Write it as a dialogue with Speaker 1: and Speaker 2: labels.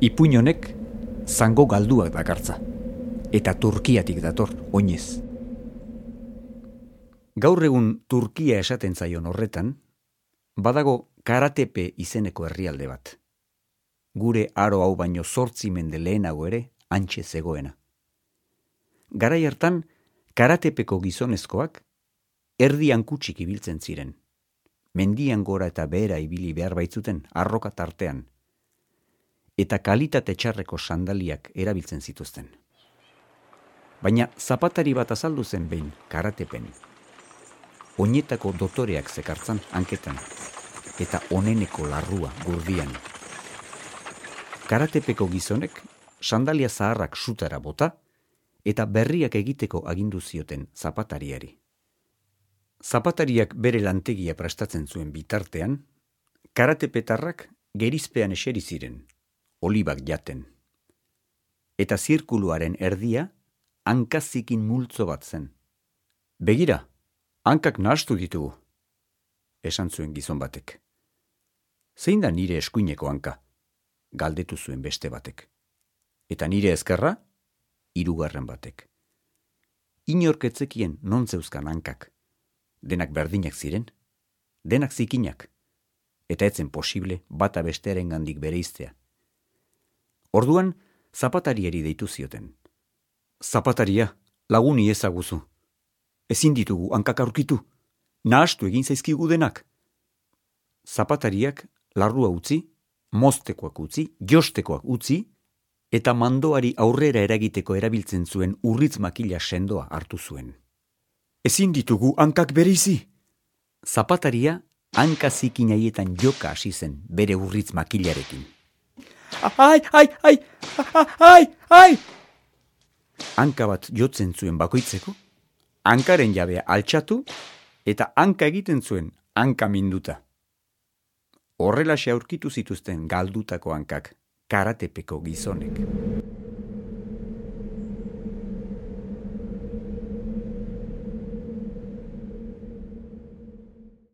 Speaker 1: Ipuin honek zango galduak dakartza, eta Turkiatik dator, oinez. Gaur egun Turkia esaten zaion horretan, badago Karatepe izeneko herrialde bat. Gure aro hau baino 8 mende lehenago ere hantxe zegoena. Garai hartan, Karatepeko gizonezkoak erdian kutsik ibiltzen ziren. Mendian gora eta behera ibili behar baitzuten arroka tartean, eta kalitate txarreko sandaliak erabiltzen zituzten. Baina zapatari bat azaldu zen behin Karatepen. Oinetako dotoreak zekartzan hanketan, eta oneneko larrua gurdian. Karatepeko gizonek sandalia zaharrak sutara bota, eta berriak egiteko agindu zioten zapatariari. Zapatariak bere lantegia prestatzen zuen bitartean, karatepetarrak gerizpean eseri ziren, olibak jaten. Eta zirkuluaren erdia hankazikin multzo bat zen. Begira, hankak nahastu ditugu, esan zuen gizon batek. Zein da nire eskuineko hanka? Galdetu zuen beste batek. Eta nire ezkerra? 3. batek. Inork ez zekien non zeuzkan hankak. Denak berdinak ziren, denak zikinak, eta etzen posible bata bestearengandik bereiztea. Orduan, zapatariari deitu zioten. Zapataria, laguni ezaguzu. Ezin ditugu hankak aurkitu, nahastu egin zaizkigu denak. Zapatariak larrua utzi, moztekoak utzi, jostekoak utzi, eta mandoari aurrera eragiteko erabiltzen zuen urritz makila sendoa hartu zuen. Ezin ditugu hankak bereizi. Zapataria hanka zikin haietan joka hasi zen bere urritz makilarekin. Ai! Hanka bat jotzen zuen bakoitzeko, hankaren jabea altxatu eta hanka egiten zuen hanka minduta. Horrelaxe aurkitu zituzten galdutako hankak Karatepeko gizonek.